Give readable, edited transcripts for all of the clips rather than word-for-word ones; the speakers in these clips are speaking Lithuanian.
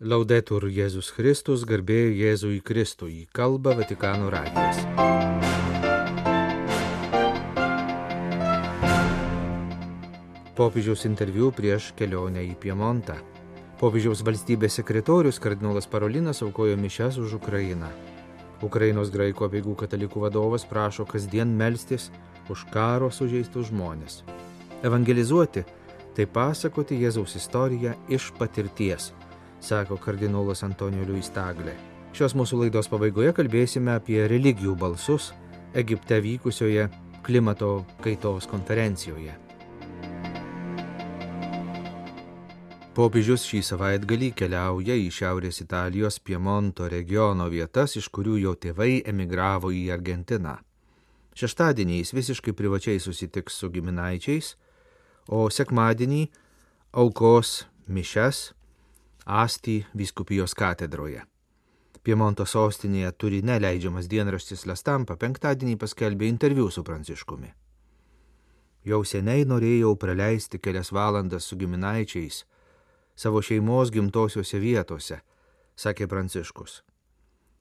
Laudetur Jėzus Kristus, garbė Jėzui Kristui, kalba Vatikano radijas. Popiežiaus interviu prieš kelionę į Piemontą. Popiežiaus valstybės sekretorius kardinolas Parolinas aukojo mišias už Ukrainą. Ukrainos graikų apeigų katalikų vadovas prašo kasdien melstis už karo sužeistus žmones. Evangelizuoti – tai pasakoti Jėzaus istoriją iš patirties, sako kardinolas Antonijo Luis Tagle. Šios mūsų laidos pabaigoje kalbėsime apie religijų balsus Egipte vykusioje klimato kaitos konferencijoje. Popiežius šį savaitgalį keliauja į Šiaurės Italijos Piemonto regiono vietas, iš kurių jo tėvai emigravo į Argentiną. Šeštadienį jis visiškai privačiai susitiks su giminaičiais, o sekmadienį aukos mišias Asti vyskupijos katedroje. Piemonto sostinėje Turine leidžiamas dienraštis La Stampa penktadienį paskelbė interviu su Pranciškumi. Jau seniai norėjau praleisti kelias valandas su giminaičiais savo šeimos gimtosiuose vietose, sakė Pranciškus.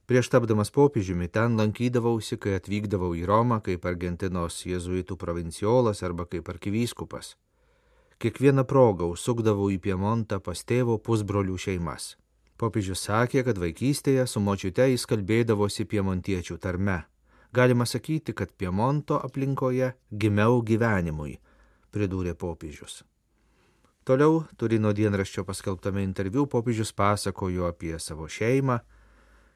Prieš tapdamas popiežiumi ten lankydavausi, kai atvykdavau į Romą kaip Argentinos jėzuitų provinciolas arba kaip arkivyskupas. Kiekvieną progą užsukdavau į Piemontą pas tėvo pusbrolių šeimas. Popiežius sakė, kad vaikystėje su močiute jis kalbėdavosi piemontiečių tarme. Galima sakyti, kad Piemonto aplinkoje gimiau gyvenimui, pridūrė popiežius. Toliau Turino dienraščio paskelbtame interviu popiežius pasakojo apie savo šeimą,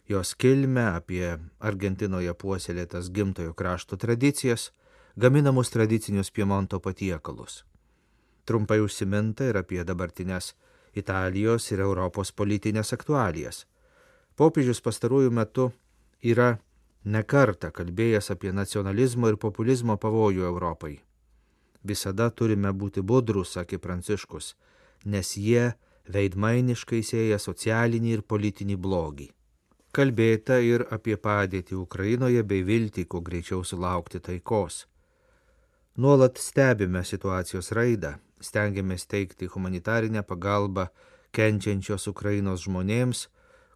jos kilmę, apie Argentinoje puoselėtas gimtojo krašto tradicijas, gaminamus tradicinius Piemonto patiekalus. Trumpai užsiminta ir apie dabartinės Italijos ir Europos politinės aktualijas. Popiežius pastaruoju metu yra nekartą kalbėjęs apie nacionalizmo ir populizmo pavojų Europai. Visada turime būti budrus, sakė Pranciškus, nes jie veidmainiškai sėja socialinį ir politinį blogį. Kalbėta ir apie padėtį Ukrainoje bei viltį, kuo greičiau sulaukti taikos. Nuolat stebime situacijos raidą, stengiamės teikti humanitarinę pagalbą kenčiančios Ukrainos žmonėms,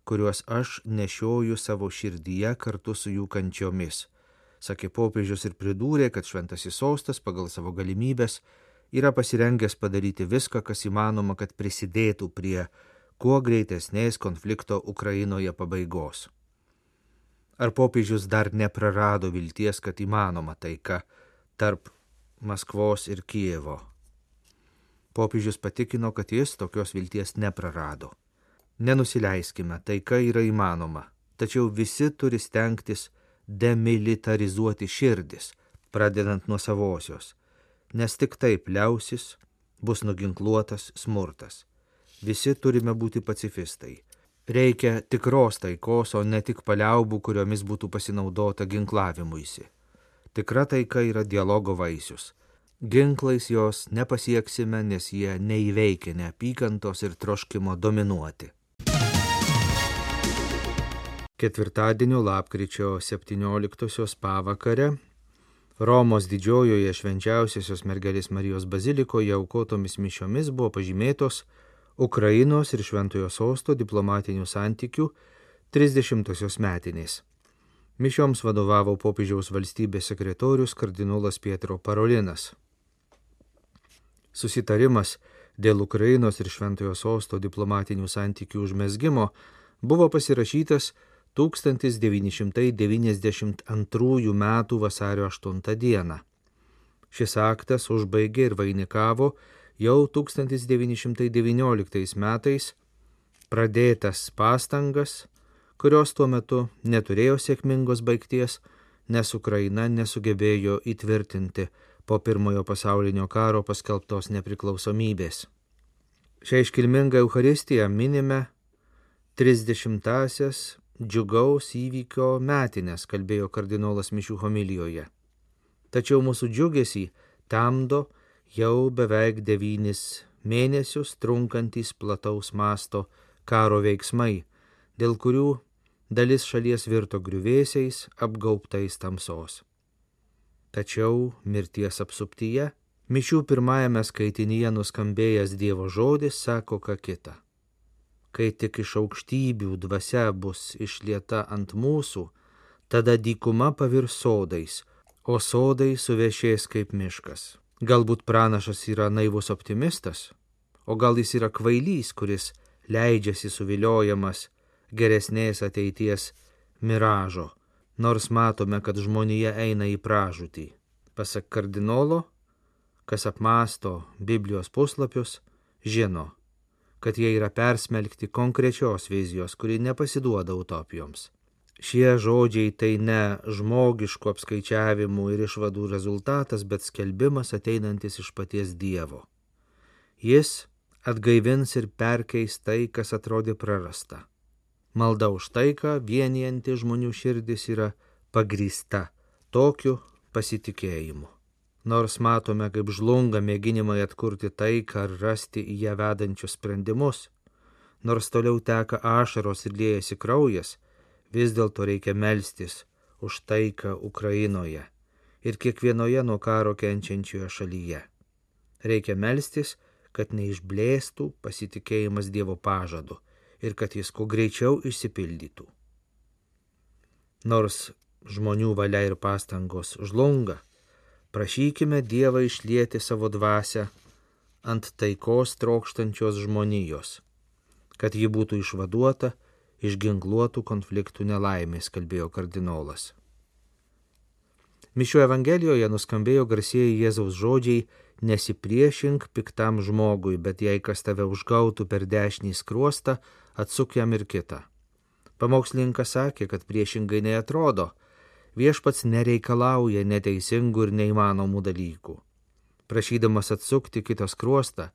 kuriuos aš nešioju savo širdyje kartu su jų kančiomis, sakė popiežius ir pridūrė, kad šventasis sostas pagal savo galimybės yra pasirengęs padaryti viską, kas įmanoma, kad prisidėtų prie kuo greitesnės konflikto Ukrainoje pabaigos. Ar popiežius dar neprarado vilties, kad įmanoma taika tarp Maskvos ir Kijevo? Popiežius patikino, kad jis tokios vilties neprarado. Nenusileiskime, taika yra įmanoma, tačiau visi turi stengtis demilitarizuoti širdis, pradedant nuo savosios, nes tik taip liausis, bus nuginkluotas smurtas. Visi turime būti pacifistai. Reikia tikros taikos, o ne tik paliaubų, kuriomis būtų pasinaudota ginklavimuisi. Tikra taika yra dialogo vaisius. Ginklais jos nepasieksime, nes jie neįveikia neapykantos ir troškimo dominuoti. Ketvirtadienio lapkričio 17 pavakare Romos didžiojoje švenčiausiosios mergelės Marijos bazilikoje aukotomis mišiomis buvo pažymėtos Ukrainos ir Šventojo sosto diplomatinių santykių 30-osios metinės. Mišioms vadovavo popiežiaus valstybės sekretorius kardinolas Pietro Parolinas. Susitarimas dėl Ukrainos ir Šventojo sosto diplomatinių santykių užmezgimo buvo pasirašytas 1992 m. vasario 8 d. Šis aktas užbaigė ir vainikavo jau 1919 metais pradėtas pastangas, kurios tuo metu neturėjo sėkmingos baigties, nes Ukraina nesugebėjo įtvirtinti po Pirmojo pasaulinio karo paskelbtos nepriklausomybės. Šią iškilmingą Eucharistiją minime 30-asias džiugaus įvykio metines, kalbėjo kardinolas mišių homilijoje. Tačiau mūsų džiugesį temdo jau beveik 9 mėnesius trunkantys plataus masto karo veiksmai, dėl kurių dalis šalies virto griuvėsiais, apgaubtais tamsos. Tačiau mirties apsuptyje mišių pirmajame skaitinyje nuskambėjęs Dievo žodis sako ką kita. Kai tik iš aukštybių dvasia bus išlieta ant mūsų, tada dykuma pavirs sodais, o sodai suvešės kaip miškas. Galbūt pranašas yra naivus optimistas, o gal jis yra kvailys, kuris leidžiasi suviliojamas geresnės ateities miražo, nors matome, kad žmonija eina į pražūtį. Pasak kardinolo, kas apmąsto Biblijos puslapius, žino, kad jie yra persmelkti konkrečios vizijos, kuri nepasiduoda utopijoms. Šie žodžiai tai ne žmogiškų apskaičiavimų ir išvadų rezultatas, bet skelbimas ateinantis iš paties Dievo. Jis atgaivins ir perkeis tai, kas atrodė prarasta. Malda už taiką, vienijanti žmonių širdis, yra pagrįsta tokiu pasitikėjimu. Nors matome, kaip žlunga mėginimai atkurti taiką ar rasti į ją vedančius sprendimus, nors toliau teka ašaros ir liejasi kraujas, vis dėlto reikia melstis už taiką Ukrainoje ir kiekvienoje nuo karo kenčiančioje šalyje. Reikia melstis, kad neišblėstų pasitikėjimas Dievo pažadu ir kad jis kuo greičiau išsipildytų. Nors žmonių valia ir pastangos žlunga, prašykime Dievą išlieti savo dvasią ant taikos trokštančios žmonijos, kad ji būtų išvaduota iš ginkluotų konfliktų nelaimės, kalbėjo kardinolas. Mišių Evangelijoje nuskambėjo garsieji Jėzaus žodžiai: nesipriešink piktam žmogui, bet jei kas tave užgautų per dešinį skruostą, atsuk jam ir kitą. Pamokslininkas sakė, kad priešingai neatrodo. Viešpats nereikalauja neteisingų ir neįmanomų dalykų. Prašydamas atsukti kitą skruostą,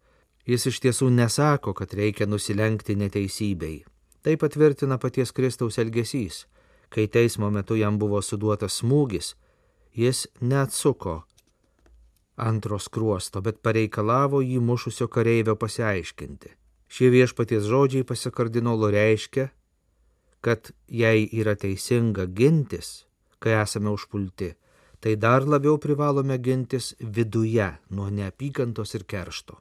jis iš tiesų nesako, kad reikia nusilenkti neteisybei. Tai patvirtina paties Kristaus elgesys. Kai teismo metu jam buvo suduotas smūgis, jis neatsuko antro skruosto, bet pareikalavo jį mušusio kareivio pasiaiškinti. Šie viešpaties žodžiai pasak kardinolo reiškia, kad jei yra teisinga gintis, kai esame užpulti, tai dar labiau privalome gintis viduje nuo neapykantos ir keršto.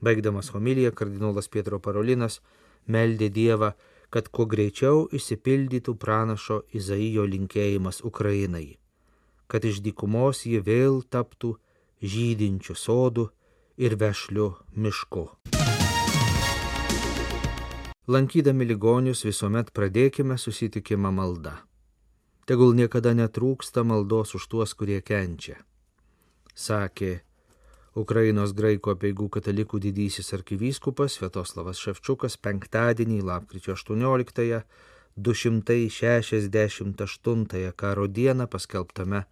Baigdamas homiliją, kardinolas Pietro Parolinas meldė Dievą, kad kuo greičiau išsipildytų pranašo Izaijo linkėjimas Ukrainai, kad iš dykumos ji vėl taptų žydinčių sodų ir vešlių mišku. Lankydami ligonius visuomet pradėkime susitikimą malda. Tegul niekada netrūksta maldos už tuos, kurie kenčia, sakė Ukrainos graikų apeigų katalikų didysis arkivyskupas Sviatoslavas Ševčiukas penktadienį, lapkričio 18-ąją, 268 karo dieną paskelbtame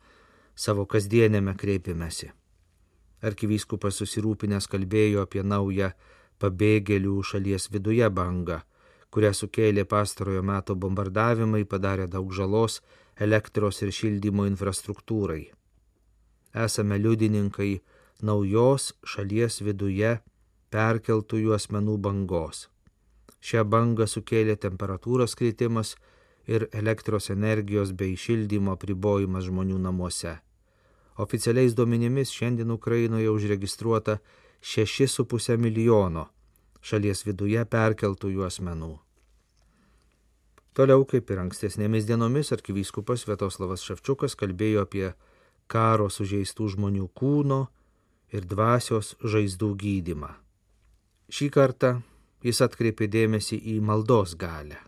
savo kasdienėme kreipimesi. Arkivyskupas susirūpinęs kalbėjo apie naują pabėgėlių šalies viduje bangą, kurią sukėlė pastarojo meto bombardavimai, padarė daug žalos elektros ir šildymo infrastruktūrai. Esame liudininkai naujos šalies viduje perkeltųjų asmenų bangos. Šią bangą sukėlė temperatūros kritimas ir elektros energijos bei šildymo apribojimas žmonių namuose. Oficialiais duomenimis šiandien Ukrainoje užregistruota 6,5 milijono šalies viduje perkeltųjų asmenų. Toliau, kaip ir ankstesnėmis dienomis, arkivyskupas Sviatoslavas Ševčiukas kalbėjo apie karo sužeistų žmonių kūno ir dvasios žaizdų gydymą. Šį kartą jis atkreipė dėmesį į maldos galią.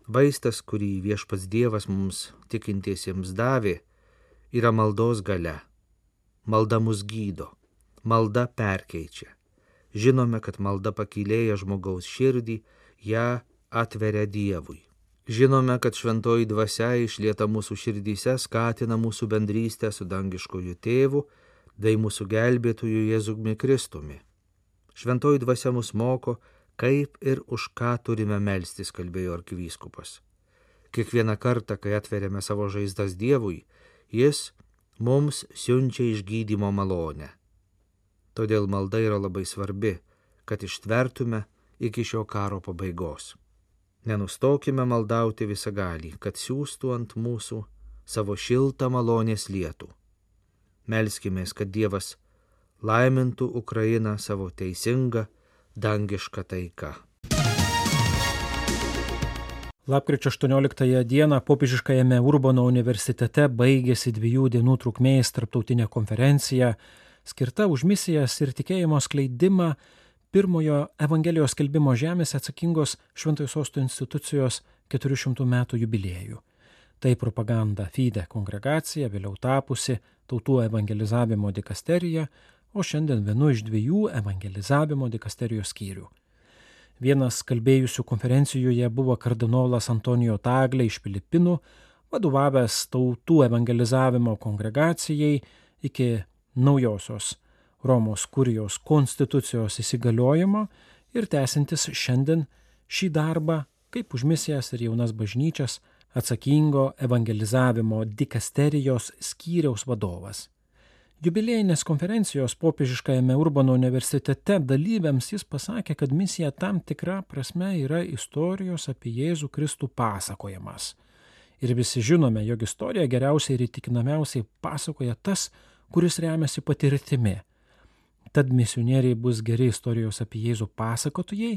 Vaistas, kurį viešpats Dievas mums tikintiesiems davė, yra maldos galia. Malda mus gydo, malda perkeičia. Žinome, kad malda pakylėja žmogaus širdį, ją atveria Dievui. Žinome, kad šventoji dvasia išlieta mūsų širdyse skatina mūsų bendrystę su dangiškoju tėvu, bei mūsų gelbėtoju Jėzumi Kristumi. Šventoji dvasia mus moko, kaip ir už ką turime melstis, kalbėjo arkivyskupas. Kiekvieną kartą, kai atveriame savo žaizdas Dievui, jis mums siunčia išgydymo malonę. Todėl malda yra labai svarbi, kad ištvertume iki šio karo pabaigos. Nenustokime maldauti visagalį, kad siųstų ant mūsų savo šiltą malonės lietų. Melskimės, kad Dievas laimintų Ukrainą savo teisingą, dangišką taiką. Lapkričio 18 dieną popiežiškajame Urbono universitete baigėsi 2 dienų trukmės tarptautinė konferencija, skirta už misijas ir tikėjimo skleidimą pirmojo Evangelijos skelbimo žemėse atsakingos Šventojo Sosto institucijos 400 metų jubiliejų. Tai propaganda Fide kongregacija, vėliau tapusi Tautų evangelizavimo dikasterija, o šiandien vienu iš 2 evangelizavimo dikasterijos skyrių. Vienas kalbėjusių konferencijoje buvo kardinolas Antonijo Tagle iš Filipinų, vadovavęs Tautų evangelizavimo kongregacijai iki naujosios Romos kurijos konstitucijos įsigaliojimo ir tęsintis šiandien šį darbą kaip už misijas ir jaunas bažnyčias atsakingo evangelizavimo dikasterijos skyriaus vadovas. Jubiliejinės konferencijos popiežiškajame Urbono universitete dalyviams jis pasakė, kad misija tam tikra prasme yra istorijos apie Jėzų Kristų pasakojimas. Ir visi žinome, jog istorija geriausiai ir įtikinamiausiai pasakoja tas, kuris remiasi patirtimi. Tad misionieriai bus geri istorijos apie Jėzų pasakotojai,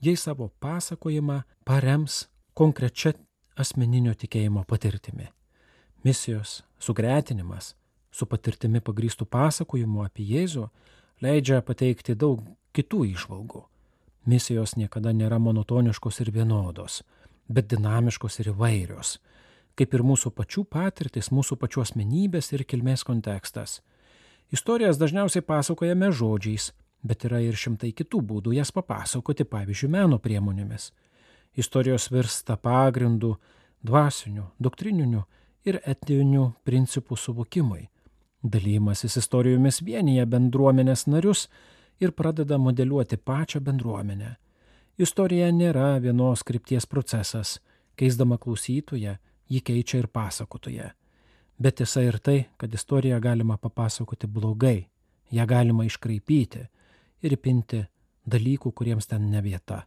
jei savo pasakojimą parems konkrečia asmeninio tikėjimo patirtimi. Misijos sugretinimas su patirtimi pagrįstų pasakojimu apie Jėzų leidžia pateikti daug kitų įžvalgų. Misijos niekada nėra monotoniškos ir vienodos, bet dinamiškos ir įvairios, kaip ir mūsų pačių patirtis, mūsų pačių asmenybės ir kilmės kontekstas. Istorijas dažniausiai pasakojame žodžiais, bet yra ir šimtai kitų būdų jas papasakoti, pavyzdžiui, meno priemonėmis. Istorijos virsta pagrindu dvasinių, doktrininių ir etinių principų suvokimui. Dalymasis istorijomis vienyje bendruomenės narius ir pradeda modeliuoti pačią bendruomenę. Istorija nėra vienos krypties procesas, keisdama klausytoją, jį keičia ir pasakotoje. Bet tiesa ir tai, kad istoriją galima papasakoti blogai, ją galima iškraipyti ir įpinti dalykų, kuriems ten ne vieta.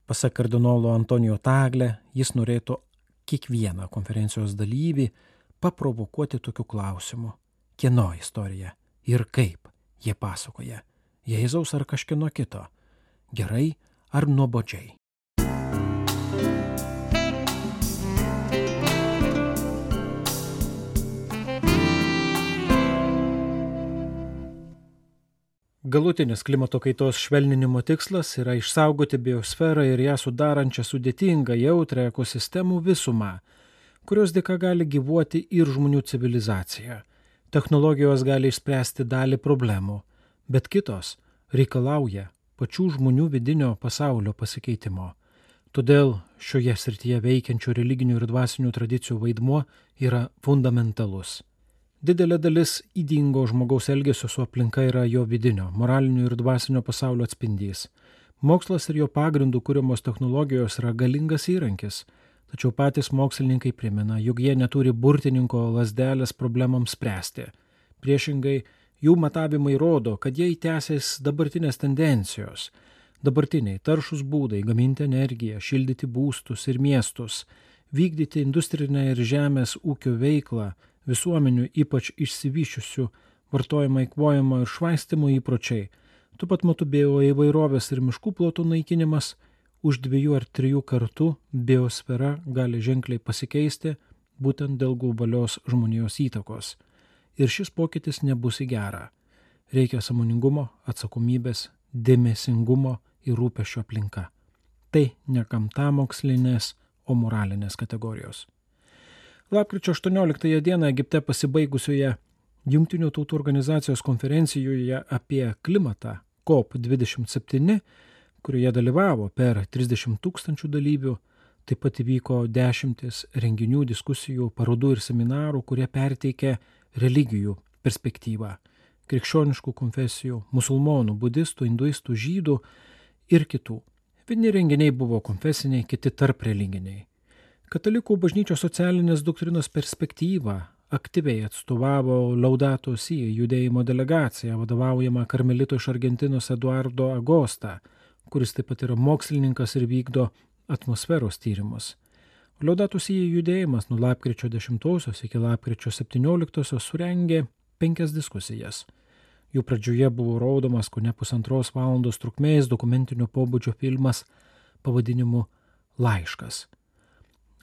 Pasak kardinolo Antonijo Tagle, jis norėtų kiekvieną konferencijos dalyvį paprovokuoti tokiu klausimu. Kieno istorija ir kaip jie pasakoja? Jėzaus ar kažkieno kito? Gerai ar nuobodžiai? Galutinis klimato kaitos švelninimo tikslas yra išsaugoti biosferą ir ją sudarančią sudėtingą jautrią ekosistemų visumą, kurios dėka gali gyvuoti ir žmonių civilizacija. Technologijos gali išspręsti dalį problemų, bet kitos reikalauja pačių žmonių vidinio pasaulio pasikeitimo. Todėl šioje srityje veikiančių religinių ir dvasinių tradicijų vaidmuo yra fundamentalus. Didelė dalis ydingo žmogaus elgesio su aplinka yra jo vidinio, moralinio ir dvasinio pasaulio atspindys. Mokslas ir jo pagrindų kuriamos technologijos yra galingas įrankis, tačiau patys mokslininkai primena, jog jie neturi burtininko lazdelės problemams spręsti. Priešingai, jų matavimai rodo, kad jie įtęsės dabartinės tendencijos. Dabartiniai taršus būdai gaminti energiją, šildyti būstus ir miestus, vykdyti industrinę ir žemės ūkio veiklą, visuomenių ypač išsivyščiusių vartojimo eikvojimo ir švaistimo įpročiai, tuo pat metu bioįvairovės ir miškų plotų naikinimas, už 2 ar 3 kartų biosfera gali ženkliai pasikeisti būtent dėl globalios žmonijos įtakos. Ir šis pokytis nebus į gerą. Reikia sąmoningumo, atsakomybės, dėmesingumo ir rūpesčio aplinka. Tai ne gamtamokslinės, o moralinės kategorijos. Lapkričio 18 dieną Egipte pasibaigusioje Jungtinių tautų organizacijos konferencijoje apie klimatą COP27, kurioje dalyvavo per 30 000 dalyvių, taip pat įvyko 10 renginių, diskusijų, parodų ir seminarų, kurie perteikė religijų perspektyvą, krikščioniškų konfesijų, musulmonų, budistų, hinduistų, žydų ir kitų. Vieni renginiai buvo konfesiniai, kiti tarp religiniai. Katalikų bažnyčios socialinės doktrinos perspektyvą aktyviai atstovavo Laudato Si judėjimo delegacija, vadovaujama karmelito iš Argentinos Eduardo Agosta, kuris taip pat yra mokslininkas ir vykdo atmosferos tyrimus. Laudato Si judėjimas nuo lapkričio 10 iki lapkričio 17 surengė 5 diskusijas. Jų pradžioje buvo rodomas kone 1,5 valandos trukmės dokumentinio pobūdžio filmas pavadinimu Laiškas.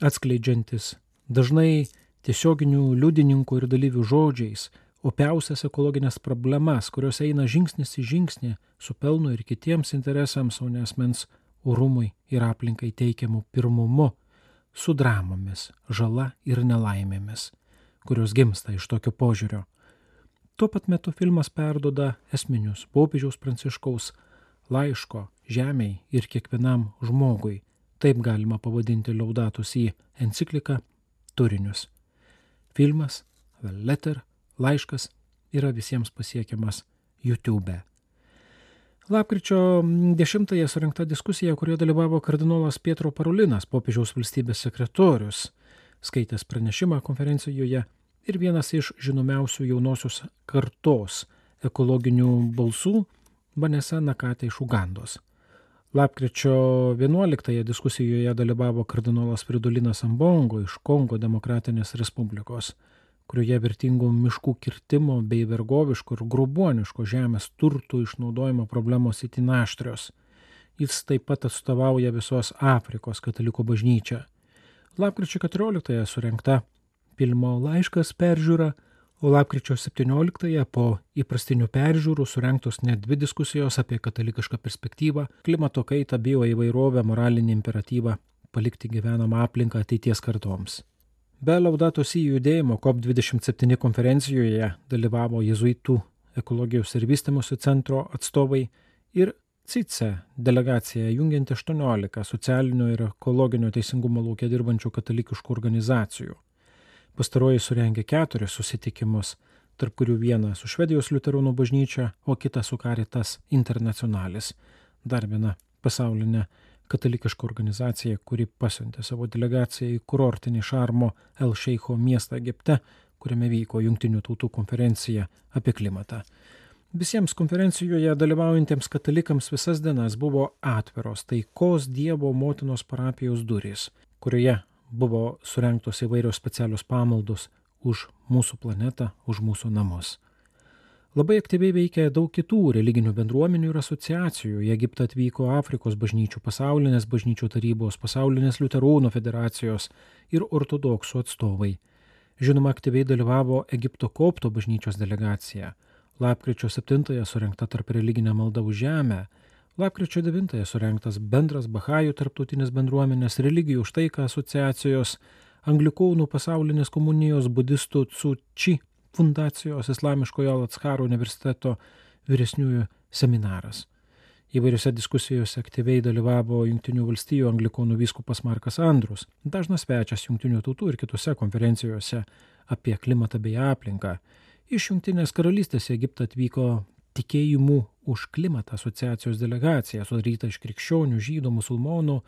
atskleidžiantis dažnai tiesioginių liudininkų ir dalyvių žodžiais opiausias ekologinės problemas, kurios eina žingsnis į žingsnį su pelnu ir kitiems interesams, o ne asmens orumui ir aplinkai teikiamu pirmumu, su dramomis, žala ir nelaimėmis, kurios gimsta iš tokio požiūrio. Tuo pat metu filmas perduoda esminius popiežiaus Pranciškaus laiško žemei ir kiekvienam žmogui, taip galima pavadinti Laudato Si encikliką, turinius. Filmas, The Letter, laiškas yra visiems pasiekiamas YouTube'e. Lapkričio 10-ąją surengta diskusija, kurioje dalyvavo kardinolas Pietro Parolinas, popiežiaus valstybės sekretorius, skaitęs pranešimą konferencijoje ir vienas iš žinomiausių jaunosios kartos ekologinių balsų, Vanessa Nakate iš Ugandos. Lapkričio 11-ąją diskusijoje dalyvavo kardinolas Fridolinas Ambongo iš Kongo Demokratinės Respublikos, kurioje vertingų miškų kirtimo bei vergoviško ir grobuoniško žemės turtų išnaudojimo problemos itin aštrios. Jis taip pat atstovauja visos Afrikos katalikų bažnyčią. Lapkričio 14-ąją surengta filmo laiškas peržiūra, o lapkričio 17-ąją po įprastinių peržiūrų surengtos net 2 diskusijos apie katalikišką perspektyvą, klimato kaitą, bioįvairovę, moralinį imperatyvą palikti gyvenamą aplinką ateities kartoms. Be Laudato Si judėjimo COP27 konferencijoje dalyvavo Jėzuitų ekologijos ir vystymosi centro atstovai ir CICE delegacija jungianti 18 socialinio ir ekologinio teisingumo lauke dirbančių katalikiškų organizacijų. Pastaroji surengė 4 susitikimus, tarp kurių vieną su Švedijos liuteronų bažnyčia, o kitą su Caritas Internationalis, dar viena pasaulinė katalikiška organizacija, kuri pasiuntė savo delegaciją į kurortinį Šarmo El Šeicho miestą Egipte, kuriame vyko Jungtinių tautų konferencija apie klimatą. Visiems konferencijoje dalyvaujantiems katalikams visas dienas buvo atviros taikos Dievo motinos parapijos durys, kurioje buvo surengtos įvairios specialios pamaldos už mūsų planetą, už mūsų namus. Labai aktyviai veikia daug kitų religinių bendruomenių ir asociacijų. Į Egiptą atvyko Afrikos bažnyčių, pasaulinės bažnyčių tarybos, pasaulinės liuteronų federacijos ir ortodoksų atstovai. Žinoma, aktyviai dalyvavo Egipto kopto bažnyčios delegacija. Lapkričio 7-ąją surengta tarp religinė malda už žemę. Lapkričio 9-ąją surengtas bendras Bahajų tarptautinės bendruomenės religijų už taiką asociacijos, Anglikonų pasaulinės komunijos budistų Tzu Chi fundacijos Islamiškojo Al-Azharo universiteto vyresniųjų seminaras. Įvairiose diskusijose aktyviai dalyvavo Jungtinių valstijų anglikonų vyskupas Markas Andrus, dažnas svečias Jungtinių tautų ir kitose konferencijose apie klimatą bei aplinką. Iš Jungtinės karalystės į Egiptą atvyko Tikėjimų už klimatą asociacijos delegacija, sudaryta iš krikščionių, žydų, musulmonų,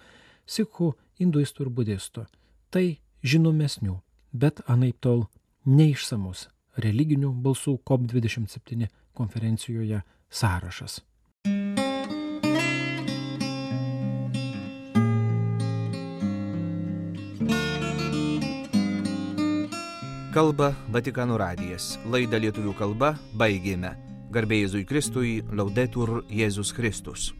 sikhų, hinduistų ir budistų. Tai žinomesnių, bet anaiptol neišsamus religinių balsų COP27 konferencijoje sąrašas. Kalba Vatikano radijas. Laidą lietuvių kalba baigėme. Garbė Jėzui Kristui, Laudetur Jėzus Kristus.